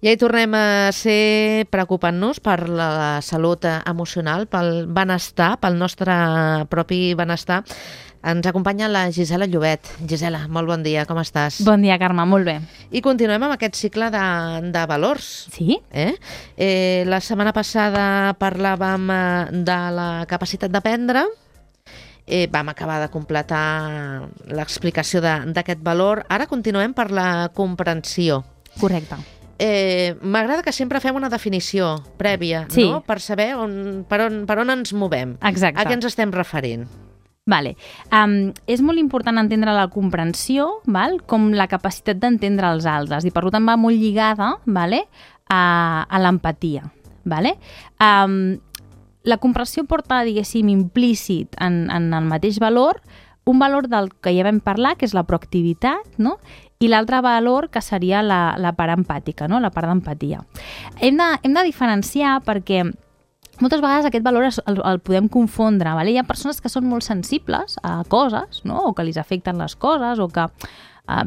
Ja hi tornem a ser preocupant-nos per la salut emocional, pel benestar, pel nostre propi benestar. Ens acompanya la Gisela Llobet. Gisela, molt bon dia, com estàs? Bon dia, Carme, molt bé. I continuem amb aquest cicle de valors. Sí? La setmana passada parlàvem de la capacitat d'aprendre. Vam acabar de completar l'explicació d'aquest valor. Ara continuem per la comprensió. Correcte. M'agrada que sempre fem una definició prèvia, Sí. no? Per saber per on ens movem. Exacte. A què ens estem referint. Vale. És molt important entendre la comprensió, val? Com la capacitat d'entendre els altres, i per tant va molt lligada, vale? a l'empatia. Vale? La comprensió porta, diguéssim, implícit en el mateix valor, un valor del que ja vam parlar, que és la proactivitat, no? I l'altre valor, que seria la part empàtica, no? La part d'empatia. Hem de diferenciar perquè moltes vegades aquest valor el podem confondre. Vale? Hi ha persones que són molt sensibles a coses, no? O que li afecten les coses, o que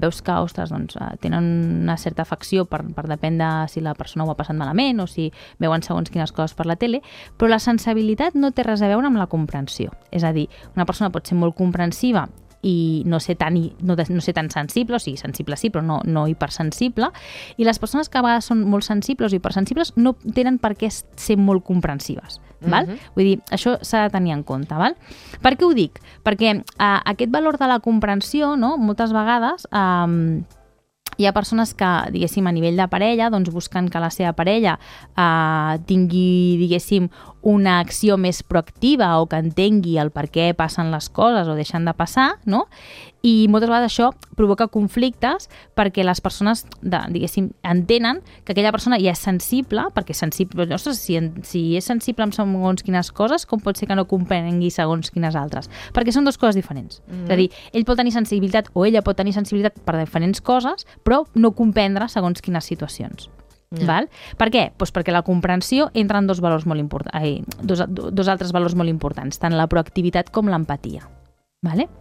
veus que, ostres, doncs, tenen una certa afecció per depèn de si la persona ho ha passat malament o si veuen segons quines coses per la tele, però la sensibilitat no té res a veure amb la comprensió. És a dir, una persona pot ser molt comprensiva i no ser tan sensible, o sigui, sensible sí, però no hipersensible, i les persones que a vegades són molt sensibles o hipersensibles no tenen per què ser molt comprensives. Val? Vull dir, això s'ha de tenir en compte. Val? Per què ho dic? Perquè aquest valor de la comprensió, no, moltes vegades hi ha persones que, diguéssim, a nivell de parella, doncs busquen que la seva parella tingui, diguéssim, una acció més proactiva o que entengui el per què passen les coses o deixen de passar, no? I moltes vegades això provoca conflictes perquè les persones, diguéssim, entenen que aquella persona ja és sensible, perquè és sensible, ostres, si és sensible amb segons quines coses, com pot ser que no comprengui segons quines altres? Perquè són dues coses diferents. És a dir, ell pot tenir sensibilitat o ella pot tenir sensibilitat per diferents coses, però no comprendre segons quines situacions. Val? Per què? Doncs perquè la comprensió entra en dos altres valors molt importants, tant la proactivitat com l'empatia. Vale?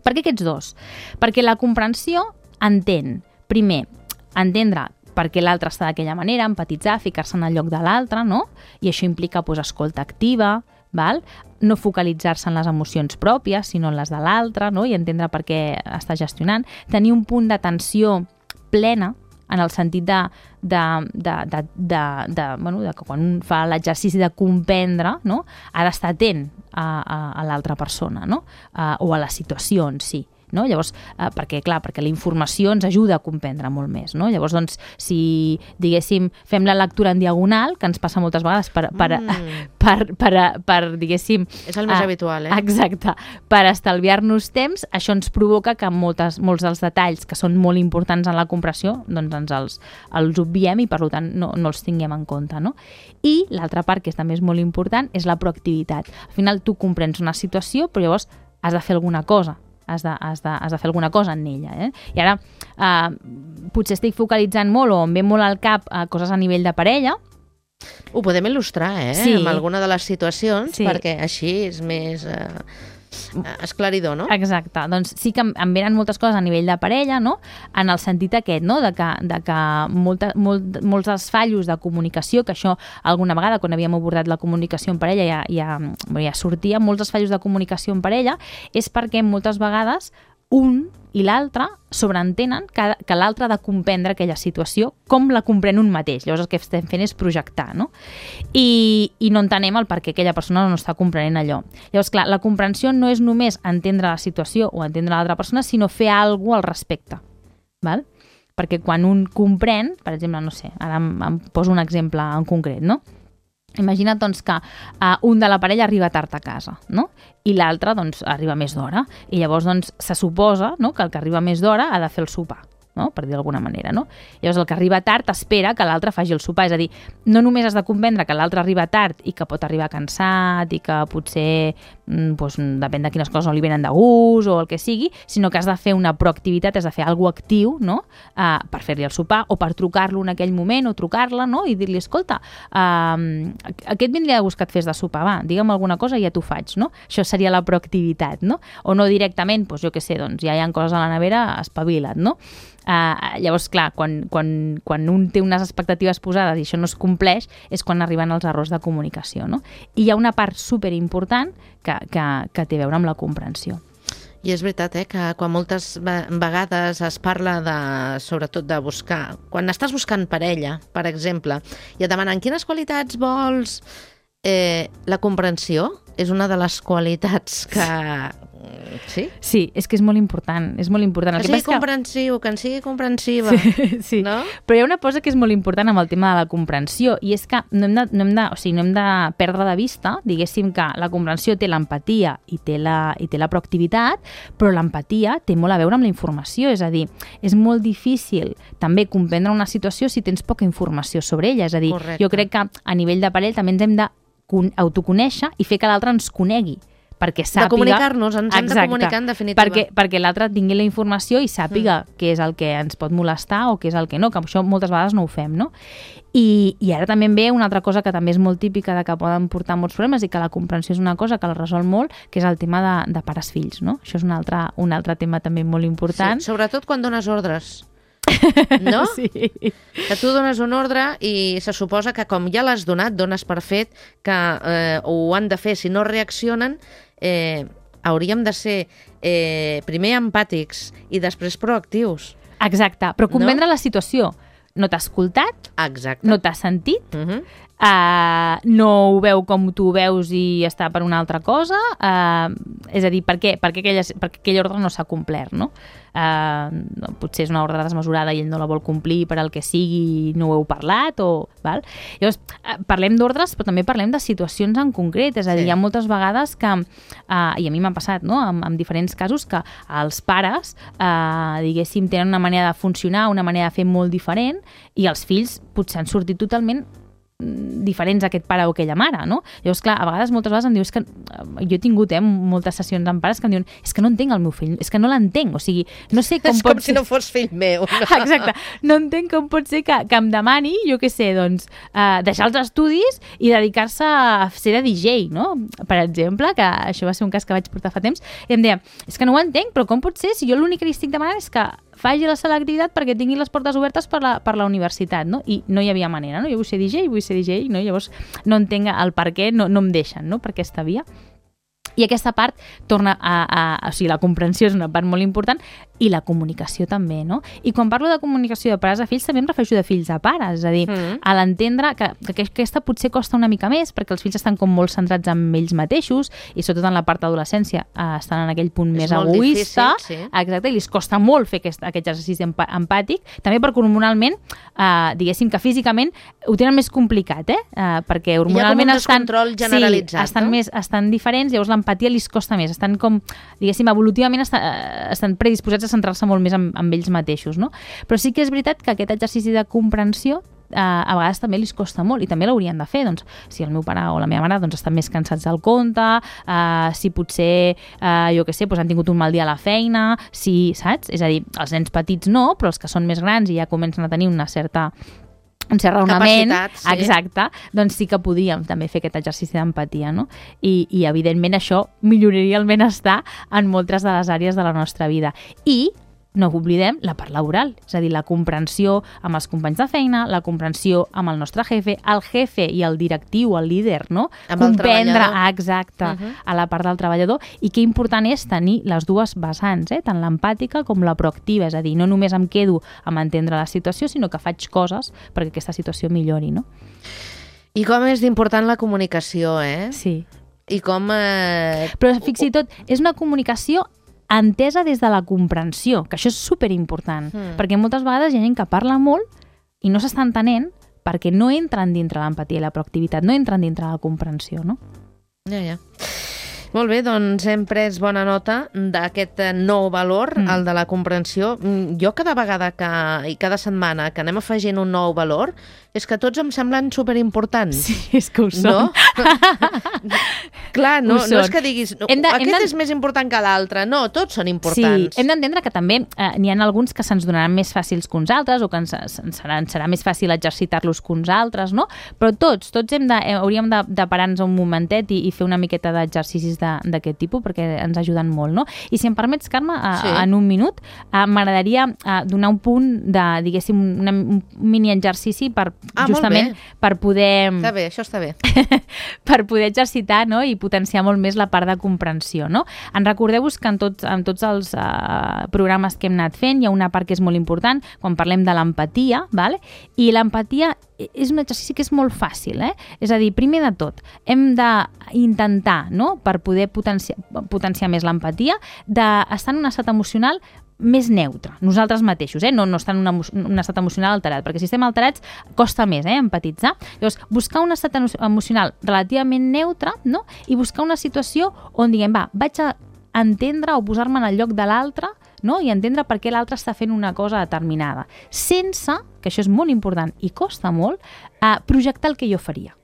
Per què aquests dos? Perquè la comprensió entén, primer, entendre per què l'altre està d'aquella manera, empatitzar, ficar-se en el lloc de l'altre, no? I això implica escolta activa, val? No focalitzar-se en les emocions pròpies, sinó en les de l'altre, no? I entendre per què està gestionant, tenir un punt d'atenció plena, en el sentit de que quan un fa l'exercici de comprendre, no? Ha d'estar atent a l'altra persona, no? O a la situació en si. No? Llavors, perquè la informació ens ajuda a comprendre molt més, no? Llavors, doncs, si, diguéssim, fem la lectura en diagonal, que ens passa moltes vegades per diguéssim... És el més habitual, Exacte. Per estalviar-nos temps, això ens provoca que molts dels detalls que són molt importants en la comprensió, doncs els obviem i, per tant, no els tinguem en compte, no? I l'altra part, que també és molt important, és la proactivitat. Al final, tu comprens una situació, però llavors has de fer alguna cosa. Has de fer alguna cosa en ella. I ara potser estic focalitzant molt o em ve molt al cap coses a nivell de parella. Ho podem il·lustrar, Sí. amb alguna de les situacions, Sí. perquè així és més esclaridor, no? Exacte. Doncs sí que em venen moltes coses a nivell de parella, no? En el sentit aquest, no? De que molts dels fallos de comunicació, que això alguna vegada quan havíem abordat la comunicació en parella ja sortia, molts dels fallos de comunicació en parella és perquè moltes vegades un i l'altre sobreentenen que l'altre ha de comprendre aquella situació com la comprèn un mateix. Llavors el que estem fent és projectar, no? I no entenem el per què aquella persona no està comprenent allò. Llavors, clar, la comprensió no és només entendre la situació o entendre l'altra persona, sinó fer alguna cosa al respecte. Val? Perquè quan un comprèn, per exemple, no sé, ara em poso un exemple en concret, no? Imagina't doncs, que un de la parella arriba tard a casa, no? I l'altre doncs, arriba més d'hora. I llavors doncs, se suposa, no?, que el que arriba més d'hora ha de fer el sopar, no?, per dir d'alguna manera. No? Llavors el que arriba tard espera que l'altre faci el sopar. És a dir, no només has de comprendre que l'altre arriba tard i que pot arribar cansat i que potser depèn de quines coses no li venen de gust o el que sigui, sinó que has de fer una proactivitat, has de fer alguna cosa actiu, no? Per fer-li el sopar o per trucar-lo en aquell moment o trucar-la, no? I dir-li, escolta, aquest vindria de gust que et fes de sopar, va, digue'm alguna cosa i ja t'ho faig, no? Això seria la proactivitat, no? O no directament, doncs jo què sé, doncs ja hi ha coses a la nevera, espavila't, no? Llavors, clar, quan un té unes expectatives posades i això no es compleix, és quan arriben els errors de comunicació, no? I hi ha una part superimportant que té a veure amb la comprensió. I és veritat, que quan moltes vegades es parla sobretot de buscar... Quan estàs buscant parella, per exemple, i et demanen quines qualitats vols... la comprensió és una de les qualitats que... Sí? Sí, és que és molt important. És molt important. Que sigui comprensiu, que en sigui comprensiva. Sí. No? Però hi ha una cosa que és molt important amb el tema de la comprensió, i és que no hem de perdre de vista, diguéssim, que la comprensió té l'empatia i té la proactivitat, però l'empatia té molt a veure amb la informació. És a dir, és molt difícil també comprendre una situació si tens poca informació sobre ella. És a dir, correcte. Jo crec que a nivell de parell també ens hem d'autoconèixer i fer que l'altre ens conegui, perquè sàpiga... De comunicar-nos, ens hem de comunicar en definitiva. Perquè l'altre tingui la informació i sàpiga què és el que ens pot molestar o què és el que no, que això moltes vegades no ho fem, no? I ara també ve una altra cosa que també és molt típica de que poden portar molts problemes i que la comprensió és una cosa que la resol molt, que és el tema de pares-fills, no? Això és un altre tema també molt important. Sí, sobretot quan dones ordres. No? Sí. Que tu dones un ordre i se suposa que com ja l'has donat, dones per fet que ho han de fer. Si no reaccionen, hauríem de ser primer empàtics i després proactius. Exacte, però comprendre la situació. No t'ha escoltat, exacte. No t'ha sentit, no ho veu com tu ho veus i està per una altra cosa, és a dir, per què aquella ordre no s'ha complert, no? Potser és una ordre desmesurada i ell no la vol complir per al que sigui, no ho heu parlat, val? Llavors, parlem d'ordres, però també parlem de situacions en concret, és a dir, hi ha moltes vegades que, i a mi m'ha passat, no?, en diferents casos, que els pares, diguéssim, tenen una manera de funcionar, una manera de fer molt diferent, i els fills potser han sortit totalment diferents a aquest pare o aquella mare, no? Llavors, clar, a vegades, moltes vegades em diu, és que jo he tingut moltes sessions amb pares que em diuen, és que no entenc el meu fill, és que no l'entenc, o sigui, no sé com pot ser... És com si no fos fill meu. No? Exacte, no entenc com pot ser que em demani, jo què sé, doncs, deixar els estudis i dedicar-se a ser de DJ, no? Per exemple, que això va ser un cas que vaig portar fa temps, i em deia, és que no ho entenc, però com pot ser si jo l'únic que li estic demanant és que faci la selectivitat perquè tingui les portes obertes per la universitat, no? I no hi havia manera, no? Jo vull ser DJ, no? Llavors no entenc el per què no em deixen, no? Per aquesta via. I aquesta part torna o sigui, la comprensió és una part molt important i la comunicació també, no? I quan parlo de comunicació de pares a fills també em refereixo de fills a pares, és a dir, a l'entendre que aquesta potser costa una mica més perquè els fills estan com molt centrats en ells mateixos i sobretot en la part d'adolescència estan en aquell punt més egoista, difícil, sí. Exacte, i els costa molt fer aquest exercici empàtic, també perquè hormonalment, diguéssim que físicament ho tenen més complicat, perquè hormonalment estan... Hi ha com un descontrol generalitzat, sí, estan diferents, llavors l'empatia li costa més, estan com, diguéssim, evolutivament estan predisposats a centrar-se molt més en ells mateixos, no? Però sí que és veritat que aquest exercici de comprensió a vegades també li costa molt i també l'haurien de fer, doncs, si el meu pare o la meva mare doncs, estan més cansats del compte, si potser, jo què sé, doncs, han tingut un mal dia a la feina, si, saps? És a dir, els nens petits no, però els que són més grans i ja comencen a tenir un cert raonament, capacitat, sí. Exacte, doncs sí que podríem també fer aquest exercici d'empatia, no? I evidentment això milloraria el benestar en moltes de les àrees de la nostra vida. I no oblidem la part laboral, és a dir, la comprensió amb els companys de feina, la comprensió amb el nostre jefe i el directiu, el líder, no? Amb el treballador. Exacte, a la part del treballador, i que important és tenir les dues vessants, tant l'empàtica com la proactiva, és a dir, no només em quedo amb entendre la situació, sinó que faig coses perquè aquesta situació millori, no? I com és d'important la comunicació, Sí. I com... Però fins i tot és una comunicació entesa des de la comprensió, que això és superimportant, perquè moltes vegades hi ha gent que parla molt i no s'està entenent perquè no entren dintre l'empatia i la proactivitat, no entren dintre la comprensió, no? Ja. Molt bé, doncs hem pres bona nota d'aquest nou valor, el de la comprensió. Jo cada vegada i cada setmana que anem afegint un nou valor, és que tots em semblen superimportants. Sí, és que ho són. No? Clar, no és que diguis aquest és més important que l'altre. No, tots són importants. Sí, hem d'entendre que també n'hi ha alguns que se'ns donaran més fàcils que uns altres o que ens serà més fàcil exercitar-los que uns altres, no? Però tots hauríem de parar-nos un momentet i fer una miqueta d'exercicis d'aquest tipus perquè ens ajuden molt, no? I si em permets, Carme, en un minut, m'agradaria donar un punt de, diguéssim, un mini exercici justament per poder... Està bé, això està bé. Per poder exercitar, no? I potenciar molt més la part de comprensió, no? Recordeu-vos que en tots els programes que hem anat fent hi ha una part que és molt important quan parlem de l'empatia, ¿vale? I l'empatia és un exercici que és molt fàcil, És a dir, primer de tot, hem d'intentar, no?, per poder potenciar més l'empatia, d'estar en un estat emocional més neutre, nosaltres mateixos, no estar en un estat emocional alterat, perquè si estem alterats costa més empatitzar. Llavors, buscar un estat emocional relativament neutre, no?, i buscar una situació on diguem, vaig a entendre o posar-me en el lloc de l'altre, no?, i entendre per què l'altre està fent una cosa determinada, sense, que això és molt important i costa molt, projectar el que jo faria.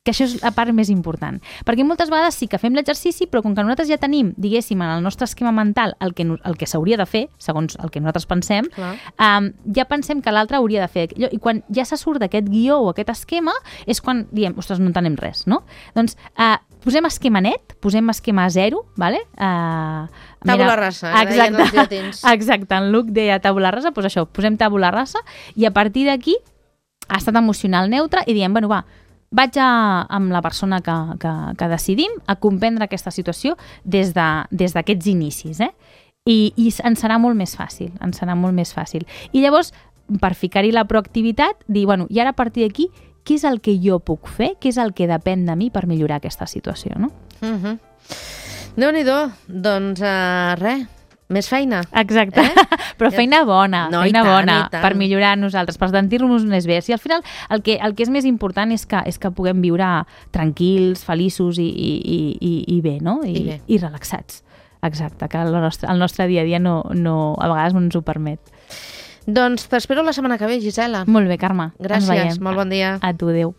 Que això és la part més important. Perquè moltes vegades sí que fem l'exercici, però com que nosaltres ja tenim, diguéssim, en el nostre esquema mental el que s'hauria de fer, segons el que nosaltres pensem, ja pensem que l'altre hauria de fer allò. I quan ja se surt d'aquest guió o aquest esquema, és quan diem, ostres, no entenem res, no? Doncs posem esquema net, posem esquema zero, ¿vale? Tabula rasa, que deien els llatins. Exacte, en Luc deia tabula rasa, doncs això, posem tabula rasa i a partir d'aquí, estat emocional neutre i diem, bueno, vaig amb la persona que decidim a comprendre aquesta situació des d'aquests inicis, I ens serà molt més fàcil, I llavors, per ficar-hi la proactivitat, dir, bueno, i ara a partir d'aquí, què és el que jo puc fer, què és el que depèn de mi per millorar aquesta situació, no? Déu-n'hi-do, doncs res, més feina. Exacte, però feina bona, per millorar nosaltres, per sentir-nos més bé. Si al final el que és més important és que puguem viure tranquils, feliços i bé, no? I relaxats. Exacte, que el nostre dia a dia no a vegades no ens ho permet. Doncs t'espero la setmana que ve, Gisela. Molt bé, Carme. Gràcies, molt bon dia. A tu, adéu.